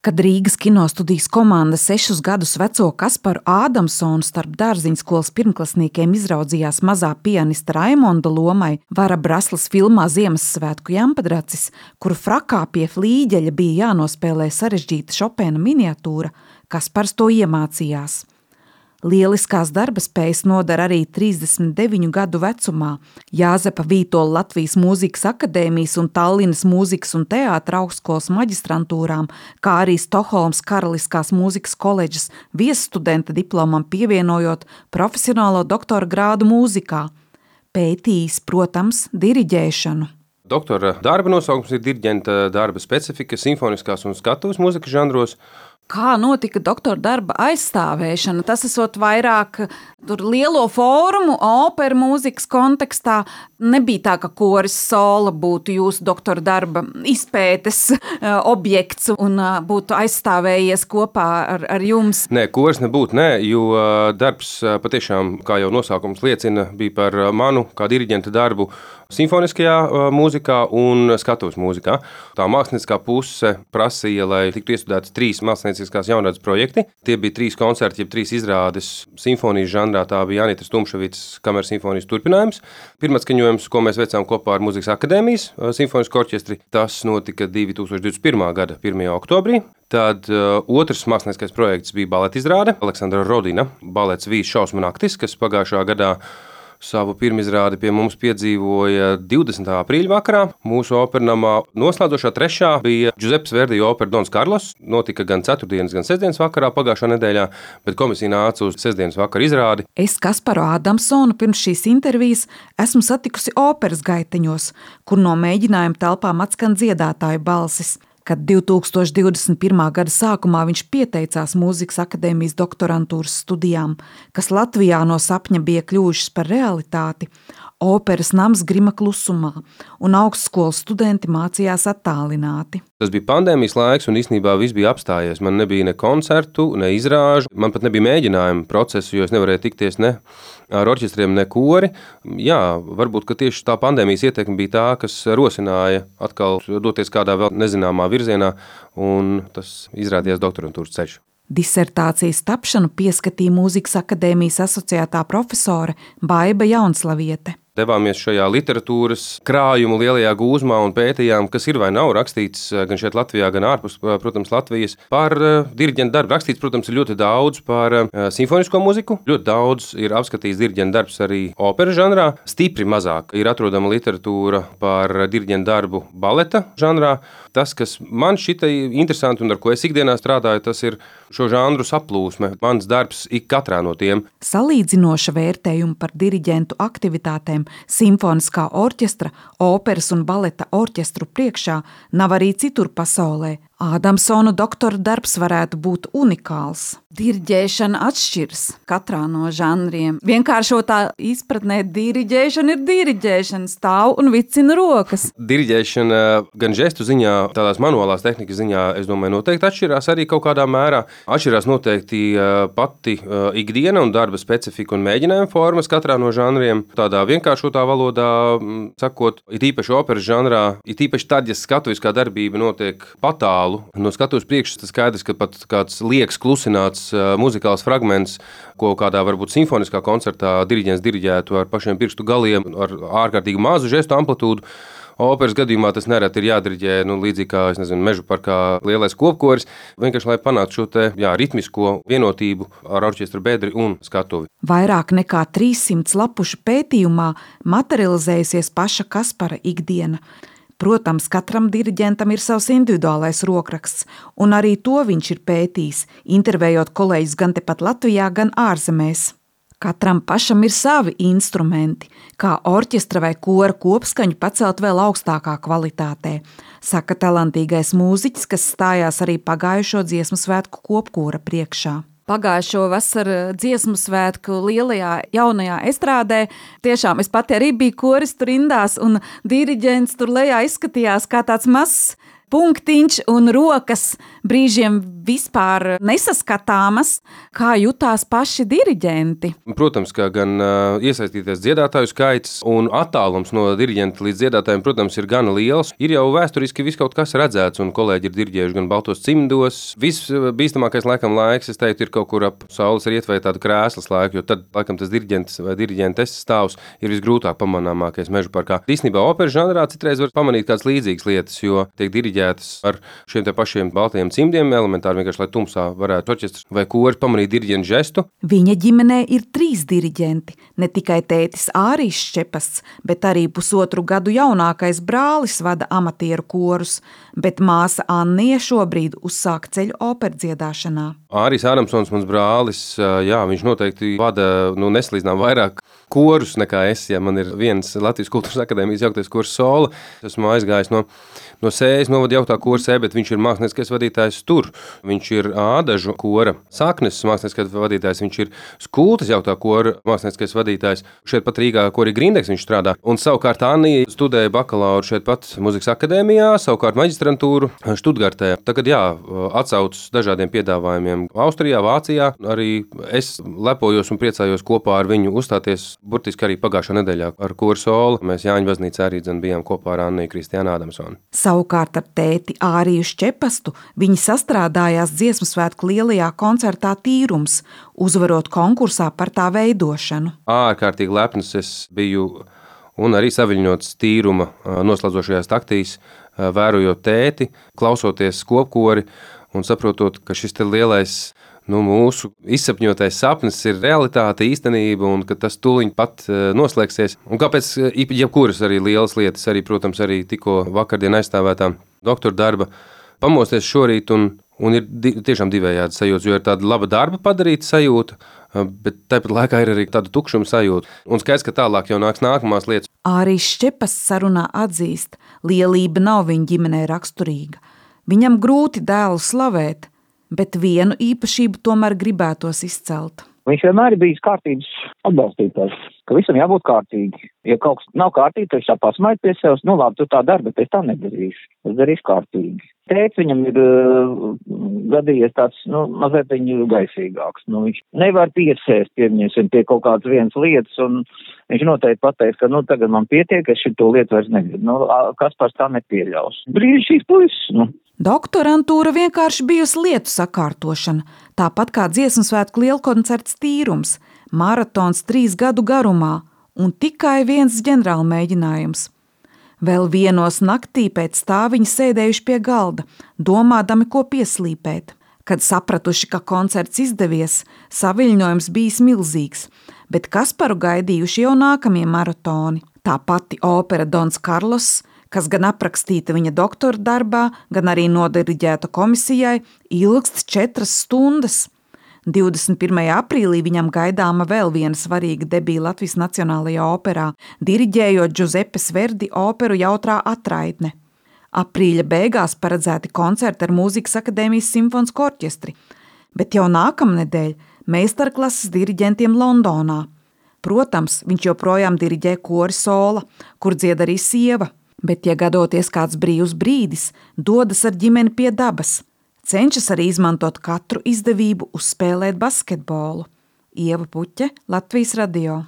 Kad Rīgas kinostudijas komanda 6 gadus veco Kasparu Ādamsonu starp dārziņskolas pirmklasniekiem izraudzījās mazā pianista Raimonda lomai, Vara Braslas filmā Ziemassvētku jampadracis, kuru frakā pie flīģeļa bija jānospēlē sarežģīta Šopena miniatūra, Kaspars to iemācījās. Lieliskās darbaspējas nodara arī 39 gadu vecumā. Jāzepa Vītola Latvijas Mūzikas akadēmijas un Tallinas Mūzikas un teātra augstskolas maģistrantūrām, kā arī Stokholmas Karaliskās mūzikas koledžas viesstudenta diplomam pievienojot profesionālo doktora grādu mūzikā. Pētījis, protams, diriģēšanu. Doktora darba nosaukums ir diriģenta darba specifika simfoniskās un skatuves mūzikas žanros. Kā notika doktora darba aizstāvēšana? Tas esot vairāk lielo fórumu, operu mūzikas kontekstā. Nebija tā, ka koris sola būtu jūsu doktora darba izpētes objekts un būtu aizstāvējies kopā ar jums. Nē, koris nebūtu, jo darbs patiešām, kā jau nosaukums liecina, bija par manu kā diriģenta darbu simfoniskajā mūzikā un skatuves mūzikā. Tā mākslinieckā puse prasīja, lai tiktu iestudētas 3 mākslinieckās jaunradas projekti. Tie bija 3 koncerti, jeb 3 izrādes simfonijas žanrā. Tā bija Jānitas Tumšavicas kameras simfonijas turpinājums. Pirmatskaņojums, ko mēs veicām kopā ar Mūzikas akadēmijas simfonisko orķestri, tas notika 2021. gada 1. oktobrī. Tad otrs mākslinieckais projekts bija baleta izrāde Aleksandra Rodina, balets Vīs šausmu naktis, kas pagājušā gadā savu pirmizrādi pie mums piedzīvoja 20. aprīļa vakarā. Mūsu opernamā noslēdzošā 3. bija Giuseppes Verdi opera Dons Karlos. Notika gan 4. gan 6. vakarā pagājušā nedēļā, bet komisija nāca uz 6. vakara izrādi. Es Kasparu Ādamsonu pirms šīs intervijas esmu satikusi operas gaiteņos, kur no mēģinājuma telpām atskan dziedātāju balsis. Kad 2021. gada sākumā viņš pieteicās Mūzikas akadēmijas doktorantūras studijām, kas Latvijā no sapņa bija kļuvušas par realitāti, operas nams grima klusumā, un augstskolas studenti mācījās attālināti. Tas bija pandēmijas laiks, un īstenībā viss bija apstājies. Man nebija ne koncertu, ne izrāžu, man pat nebija mēģinājumu procesu, jo es nevarēju tikties ne ar orķestriem, ne kori. Jā, varbūt, ka tieši tā pandēmijas ietekme bija tā, kas rosināja atkal doties kādā vēl nezināmā virzienā, un tas izrādījās doktorantūras ceļš. Disertācijas tapšanu pieskatīja Mūzikas akadēmijas asociētā profesore Baiba Jaunslaviete. Devāmies šajā literatūras krājumu lielajā gūzmā un pētījām, kas ir vai nav rakstīts gan šeit Latvijā, gan ārpus, protams, Latvijas. Par diriģenta darbu rakstīts, protams, ir ļoti daudz par simfonisko mūziku. Ļoti daudz ir apskatīts diriģenta darbs arī operas žanrā. Stipri mazāk ir atrodama literatūra par diriģenta darbu baleta žanrā. Tas, kas man šita interesanti un ar ko es ikdienā strādāju, tas ir šo žanru saplūsme. Mans darbs ik katrā no tiem. Salīdzinoša vērtējuma par diriģentu aktivitātēm simfoniskā orķestra, operas un baleta orķestru priekšā nav arī citur pasaulē. Ādamsona doktora darbs varētu būt unikāls. Diriģēšana atšķiras katrā no žanriem. Vienkāršotā izpratnē diriģēšana ir diriģēšana, stāv un vicina rokas. Diriģēšana gan žestu ziņā, tādās manuālās tehnikas ziņā, es domāju, noteikti atšķirās arī kaut kādā mērā. Atšķirās noteikti pati ikdiena un darba specifika un mēģinājuma formas katrā no žanriem. Tādā vienkāršotā valodā sakot, it īpaši operas žanrā, it īpaši tad, ja skatuviskā darbība notiek patālu. No skatuves priekšas tas skaidrs, ka pat kāds liekas klusināts muzikāls fragments, ko kādā varbūt simfoniskā koncertā diriģents diriģētu ar pašiem pirkstu galiem, ar ārkārtīgi mazu žestu amplitūdu. Operas gadījumā tas nereti ir jādiriģē, līdzīgi kā, mežu parkā lielais kopkoris, vienkārši lai panāktu šo te, ritmisko vienotību ar orķestra bedri un skatuvi. Vairāk nekā 300 lapušu pētījumā materializējusies paša Kaspara ikdiena. Protams, katram diriģentam ir savs individuālais rokraksts, un arī to viņš ir pētījis, intervējot kolēģus gan tepat Latvijā, gan ārzemēs. Katram pašam ir savi instrumenti, kā orķestra vai kora kopskaņu pacelt vēl augstākā kvalitātē, saka talantīgais mūziķis, kas stājās arī pagājušo dziesmu svētku kopkora priekšā. Pagājušo vasaru dziesmu svētku lielajā jaunajā estrādē. Tiešām es pati arī biju koris tur rindās, un diriģents tur lejā izskatījās kā tāds mazs punktiņš un rokas brīžiem vispār nesaskatāmas. Kā jutās paši diriģenti? Protams, ka gan iesaistīties dziedātāju skaits un attālums no diriģenta līdz dziedātājiem, protams, ir gana liels. Ir jau vēsturiski viss kaut kas redzēts, un kolēģi ir diriģējuši gan baltos cimdos. Visbīstamākais laiks, es teiktu, ir kaut kur ap saules rietu vai tādu krēslas laiku, jo tad, laikam, tas diriģents vai diriģentes stāvs ir visgrūtāk pamanāmākais meža parkā. Īstenībā operas žanrā citreiz var pamanīt kādas līdzīgas lietas, jo tiek diriģētas ar šiem te pašiem baltajiem cimdiem, elementāri vienkārši, lai tumsā varētu orķestrs vai kori pamanīt diriģentu žestu. Viņa ģimenē ir 3 diriģenti, ne tikai tētis Ārijs Šķepasts, bet arī pusotru gadu jaunākais brālis vada amatieru korus, bet māsa Annija šobrīd uzsāk ceļu operdziedāšanā. Ārijs Ādamsons, mans brālis, viņš noteikti vada nesalīdzinām vairāk korus nekā es. Ja man ir viens Latvijas Kultūras akadēmijas jauktais kors Sola, esmu aizgājis no Sējas novada jauktā kora Sē, bet viņš ir mākslinieckais vadītājs tur. Viņš ir Ādažu kora Saknes mākslinieckais vadītājs, viņš ir Skultas jauktā kora mākslinieckais vadītājs. Šeit pat Rīgā kori Grindeks viņš strādā. Un savukārt Annija studēja bakalauru šeit pat Mūzikas akadēmijā, savukārt maģistrantūru Štutgartē. Tagad atsaucas dažādiem piedāvājumiem Austrijā, Vācijā. Arī es lepojos un priecājos kopā ar viņu uzstāties burtiski arī pagājušā nedēļā ar koru Sola. Mēs Jāņu baznīcā arī bijām kopā ar Anniju Kristiānu Ādamsonu. Savukārt ar tēti Āriju Šķepastu viņi sastrādājās Dziesmu svētku lielajā koncertā Tīrums, uzvarot konkursā par tā veidošanu. Ārkārtīgi lepns es biju un arī saviļņots Tīruma noslēdzošajās taktīs, vērojot tēti, klausoties kopkori un saprotot, ka šis te lielais mūsu izsapņotais sapnis ir realitāte, īstenība, un ka tas tūliņ pat noslēgsies. Un kāpēc jebkuras arī lielas lietas, arī, protams, arī tikko vakardien aizstāvētā doktora darba, pamosties šorīt un ir tiešām divējādi sajūtas, jo ir tāda laba darba padarīta sajūta, bet tāpat laikā ir arī tāda tukšuma sajūta. Un skaidrs, ka tālāk jau nāks nākamās lietas. Ārijs Šķepasts sarunā atzīst, lielība nav viņa ģimenē raksturīga. Viņam grūti dēlu slavēt, bet vienu īpašību tomēr gribētos izcelt. Viņš vienmēr ir bijis kārtības atbalstītājs, ka visam jābūt kārtīgi. Ja kaut kas nav kārtīgi, tad viņš tā pasmaid pie sevis, labi, tu tā dari, bet es tā nedarīšu. Es darīšu kārtīgi. Tēts viņam ir gadījies tāds, mazliet viņu gaisīgāks. Viņš nevar piesēst pie kaut kādas vienas lietas, un viņš noteikti pateiks, ka tagad man pietiek, es šito lietu vairs negribu. Kaspars tā nepieļaus. Brīnišķīgs puisis, Doktorantūra vienkārši bijusi lietu sakārtošana, tāpat kā Dziesmu svētku lielkoncerts Tīrums, maratons 3 gadu garumā un tikai viens ģenerāla mēģinājums. Vēl vienos naktī pēc tā viņi sēdējuši pie galda, domādami, ko pieslīpēt. Kad sapratuši, ka koncerts izdevies, saviļņojums bijis milzīgs, bet Kasparu gaidījuši jau nākamie maratoni. Tā pati opera Dons Karlos, kas gan aprakstīta viņa doktora darbā, gan arī nodiriģēta komisijai, ilgst 4 stundas. 21. aprīlī viņam gaidāma vēl viena svarīga debija Latvijas Nacionālajā operā, diriģējot Džuzepes Verdi operu Jautrā atraitne. Aprīļa beigās paredzēti koncerti ar Mūzikas akadēmijas simfonisko orķestri, bet jau nākamnedēļ meistarklases diriģentiem Londonā. Protams, viņš joprojām diriģē kori Sola, kur dzied arī sieva. Bet, ja gadoties kāds brīvs brīdis, dodas ar ģimeni pie dabas, cenšas arī izmantot katru izdevību uzspēlēt basketbolu. Ieva Puķe, Latvijas radio.